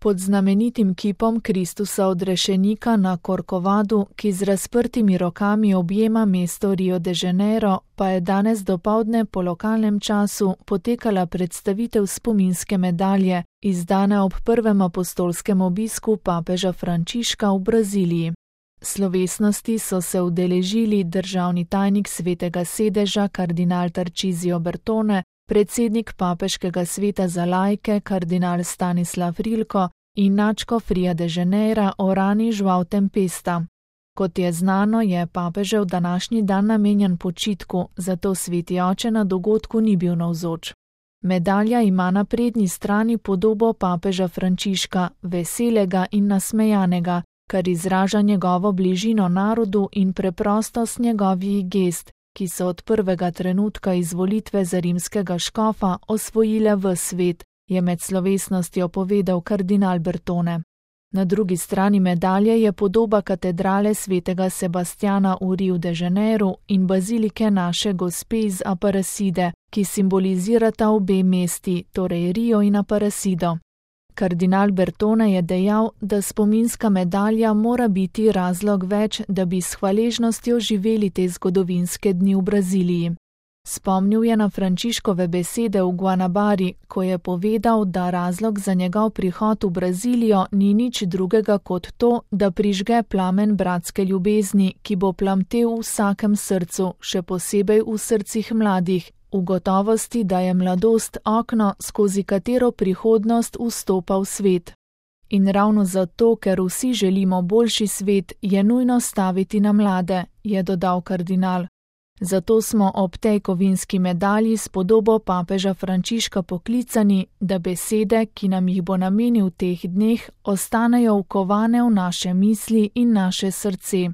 Pod znamenitim kipom Kristusa odrešenika na Corcovadu, ki z razprtimi rokami objema mesto Rio de Janeiro, pa je danes dopoldne po lokalnem času potekala predstavitev spominske medalje, izdana ob prvem apostolskem obisku papeža Frančiška v Braziliji. Slovesnosti so se udeležili državni tajnik Svetega sedeža kardinal Tarcísio Bertone, predsednik papeškega sveta za laike kardinal Stanislav Rilko in nadškof Ria de Janeira Orani João Tempesta. Kot je znano, je papežev današnji dan namenjen počitku, zato sveti oče na dogodku ni bil navzoč. Medalja ima na prednji strani podobo papeža Frančiška, veselega in nasmejanega, kar izraža njegovo bližino narodu in preprostost njegovih gest, ki so od prvega trenutka izvolitve za rimskega škofa osvojile ves svet, je med slovesnostjo povedal kardinal Bertone. Na drugi strani medalje je podoba katedrale svetega Sebastjana v Riu de Janeiru in bazilike naše gospe iz Aparecide, ki simbolizirata obe mesti, torej Rio in Aparecido. Kardinal Bertone je dejal, da spominska medalja mora biti razlog več, da bi s hvaležnostjo živeli te zgodovinske dni v Braziliji. Spomnil je na Frančiškove besede v Guanabari, ko je povedal, da razlog za njegov prihod v Brazilijo ni nič drugega kot to, da prižge plamen bratske ljubezni, ki bo plamtel v vsakem srcu, še posebej v srcih mladih, v gotovosti, da je mladost okno, skozi katero prihodnost vstopa v svet. In ravno zato, ker vsi želimo boljši svet, je nujno staviti na mlade, je dodal kardinal. Zato smo ob tej kovinski medalji s podobo papeža Frančiška poklicani, da besede, ki nam jih bo namenil v teh dneh, ostanejo vkovane v naše misli in naše srce.